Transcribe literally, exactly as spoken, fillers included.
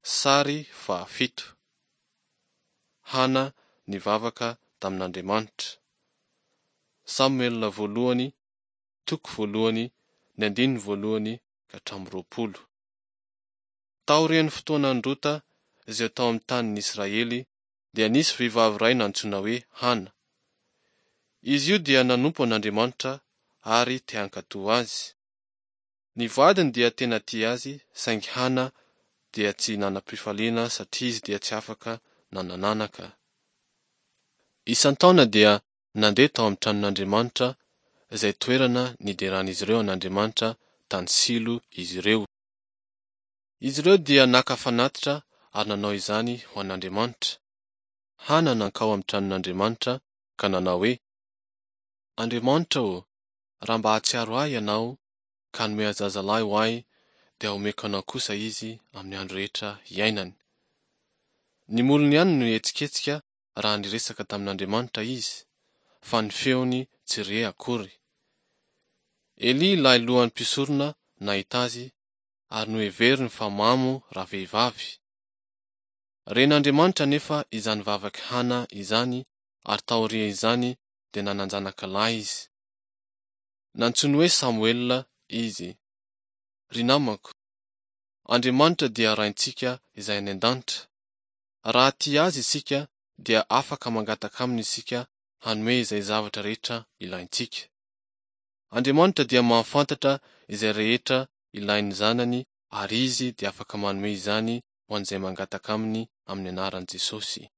Sary fahafito. Hana nivavaka tamin'Andriamanitra. Samoela voalohany, toko voalohany, ny andininy voalohany ka hatramin'ny roapolo. Taorian'ny fotoanan'i Rota izay tao amin'ny tanin'ny Israely dia nisy vehivavy iray nantsoina hoe Hana. Izy io dia nanompo an'Andriamanitra ary te hankatò azy. Ny vadiny dia tena tia azy saingy Hana dia tsy nanam-pifaliana satria izy dia tsy afaka nanananaka. Isan-taona dia nandeha tao amin'ny tranon'Andriamanitra izay toerana nideran'izy ireo an'Andriamanitra tany Silo izy ireo. Izy ireo dia naka fanatitra ary nanao izany ho an'Andriamanitra. Hana nankao amin'ny tranon'Andriamanitra ka nanao hoe: Andriamanitra ô, raha mba hahatsiaro ahy Ianao ka hanome zazalahy ho ahy dia homeko Anao kosa izy amin'ny andro rehetra iainany. Ny molony ihany no nihetsiketsika raha niresaka tamin'Andriamanitra izy, fa ny feony tsy re akory. Elia ilay lohan'ny mpisorona nahita azy ary noheveriny fa mamo ravehivavy. Ren'Andriamanitra anefa izany vavak'i Hana izany ary taorian'izany dia nanan-janaka lahy izy. Nantsoiny hoe Samoela izy. Ry namako, Andriamanitra dia Raintsika izay any an-danitra. Raha tia Azy isika dia afaka mangataka Aminy isika hanome izay zavatra rehetra ilaintsika. Andriamanitra dia mahafantatra izay rehetra ilain'ny zanany ary Izy dia afaka manome izany ho an'izay mangataka Aminy amin'ny anaran'i Jesosy.